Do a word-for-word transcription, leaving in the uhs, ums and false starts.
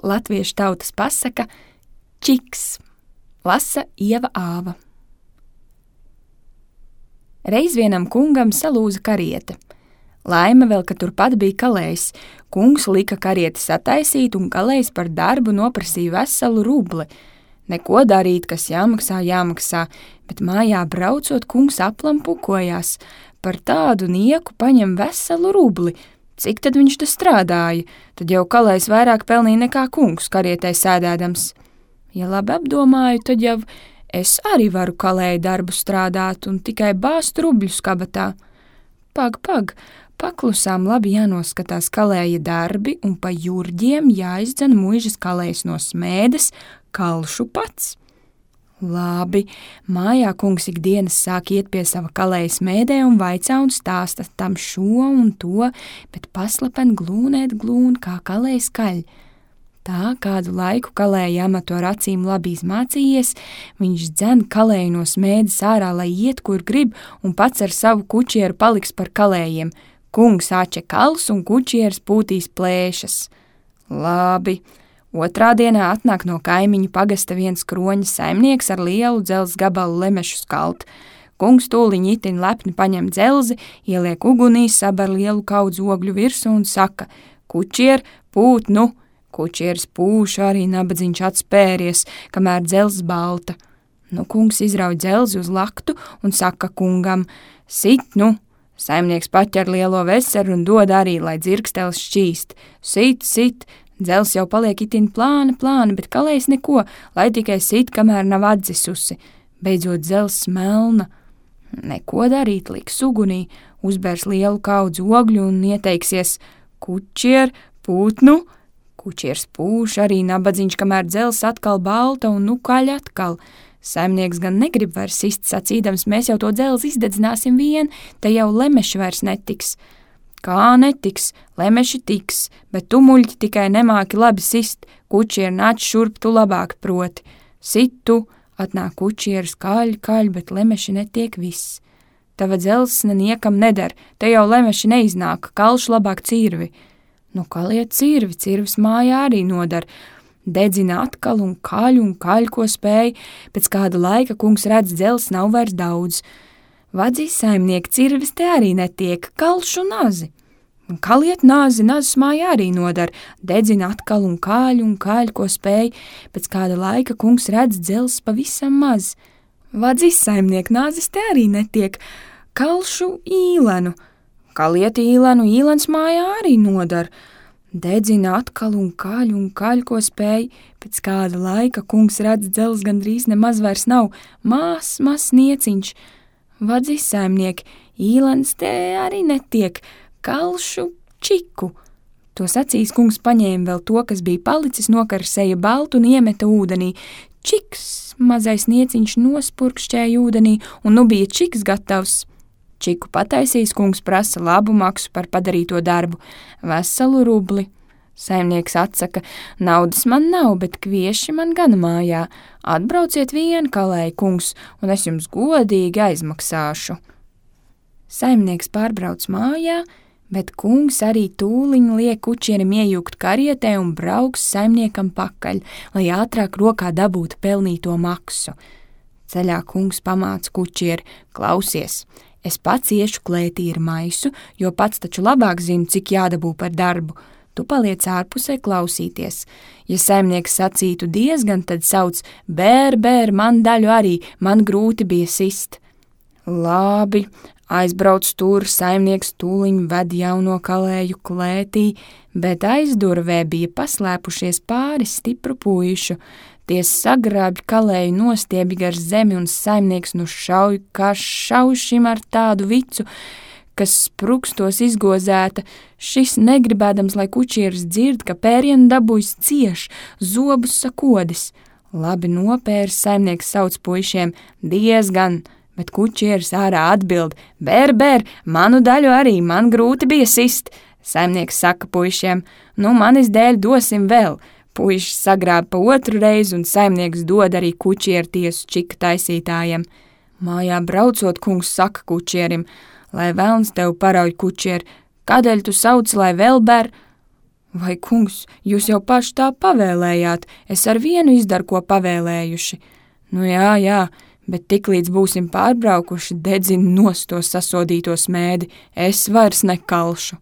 latviešu tautas pasaka Čiks, lasa Ieva Āva. Reiz vienam kungam salūza kariete. Laime vēl, ka turpat bija kalējs. Kungs lika karieti sataisīt un kalējs par darbu noprasīja veselu rubli. Neko darīt, kas jāmaksā, jāmaksā, bet mājā braucot kungs aplam pukojās. Par tādu nieku paņem veselu rubli. Cik tad viņš te strādāja? Tad jau kalējs vairāk pelnīja nekā kungs karietē sēdēdams. Ja labi apdomāju, tad jau es arī varu kalēju darbu strādāt un tikai bāzt rubļus kabatā. Pag, pag, paklusām labi jānoskatās kalēja darbi un pa jurģiem jāizdzen muižas kalējs no smēdes, kalšu pats. Labi, mājā kungs ikdienas sāk iet pie sava kalēja smēdē un vaicā un stāsta tam šo un to, bet paslapen glūnēt glūn, kā kalējs kaļ. Tā kādu laiku kalēja amatu ar acīm labi izmācījies, viņš dzen kalēju no smēdes ārā, lai iet, kur grib, un pats ar savu kučieru paliks par kalējiem. Kungs āče kals un kučieris pūtīs plēšas. Labi. Otrā dienā atnāk no kaimiņu pagasta viens kroņa saimnieks ar lielu dzelzs gabalu lemešu skalt. Kungs tūliņ itin lepni paņem dzelzi, ieliek ugunī, sabar lielu kaudzu ogļu virsū un saka: kučier, pūt nu! Kučieris pūš, arī nabadzīņš atspēries, kamēr dzelzs balta. Nu, kungs izrauj dzelzi uz laktu un saka kungam: sit, nu! Saimnieks paķer lielo veseru un dod arī, lai dzirkstels šķīst. Sit, sit! Dzels jau paliek itin plāna, plāna, bet kalējs neko, lai tikai sit, kamēr nav atzisusi. Beidzot dzels melna. Neko darīt, liks ugunī, uzbērs lielu kaudzu ogļu un ieteiksies: kučier, pūt, nu! Kučiers pūš, arī nabadzīņš, kamēr dzels atkal balta un nu kaļ atkal. Saimnieks gan negrib vairs sist, sacīdams: mēs jau to dzelzi izdedzināsim vien, te jau lemeši vairs netiks. Kā netiks, lemeši tiks, bet tu, muļķi, tikai nemāki labi sist, kučieri nāc šurp, tu labāk proti. Sit tu, atnāk kučieris, kaļ, kaļ, bet lemeši netiek viss. Tava dzelzs neniekam nedar, te jau lemeši neiznāk, kalš labāk cirvi. Nu, kaliet cirvi, cirvis mājā arī nodar. Dedzina atkal un kaļ un kaļ, ko spēj. Pēc kāda laika kungs redz, dzels nav vairs daudz. Vadzīs saimnieki, cirvis te arī netiek, kalšu nazi. Un kaliet nazi, nazis mājā arī nodar. Dedzina atkal un kaļ un kaļ, ko spēj. Pēc kāda laika kungs redz, dzels pavisam maz. Vadzīs saimnieki, nazis te arī netiek, kalšu īlenu. Kaliet īlenu, īlens mājā arī nodar. Dedzina atkal un kaļ un kaļ, ko spēj. Pēc kāda laika kungs redz, dzels gandrīz nemaz vairs nav, mās, mās nieciņš. Vadzīs saimnieki, īlens te arī netiek, kalšu čiku. To sacīs kungs paņēma vēl to, kas bija palicis, nokarsēja baltu un iemeta ūdenī. Čiks, mazais nieciņš nospurkšķēja ūdenī, un nu bija čiks gatavs. Čiku pataisīs, kungs prasa labu maksu par padarīto darbu, veselu rubli. Saimnieks atsaka: naudas man nav, bet kvieši man gan mājā. Atbrauciet vien, kalēja kungs, un es jums godīgi aizmaksāšu. Saimnieks pārbrauc mājā, bet kungs arī tūliņ liek kučierim iejūgt karietē un brauks saimniekam pakaļ, lai ātrāk rokā dabūtu pelnīto maksu. Ceļā kungs pamāca kučieri: klausies! Es pats iešu klētī ar maisu, jo pats taču labāk zinu, cik jādabū par darbu. Tu paliec ārpusē klausīties. Ja saimnieks sacītu diezgan, tad sauc: bēr, bēr, man daļu arī, man grūti bija sist. Labi, aizbrauc tur, saimnieks tūliņ ved jauno kalēju klētī, bet aizdurvē bija paslēpušies pāris stipru puišu. Tie sagrābj kalēju nostiebi gar zemi un saimnieks nu šauj, kā šaušim ar tādu vicu, kas sprukstos izgozēta. Šis negribēdams, lai kučieris dzird, ka pērienu dabūjis cieš, zobus sakodis. Labi nopērs, saimnieks sauc puišiem: diezgan, bet kučieris ārā atbild: bēr, bēr, manu daļu arī, man grūti bija sist. Saimnieks saka puišiem: nu manis dēļ dosim vēl. Puiši sagrāb pa otru reizi, un saimnieks dod arī kučieru tiesu čika taisītājiem. Mājā braucot, kungs saka kučierim: lai velns tev parauj, kučieri, kādēļ tu sauc, lai vēl ber? Vai, kungs, jūs jau paši tā pavēlējāt, es ar vienu izdaru, ko pavēlējuši. Nu jā, jā, bet tiklīdz būsim pārbraukuši, dedzin nost to sasodīto smēdi, es vairs nekalšu.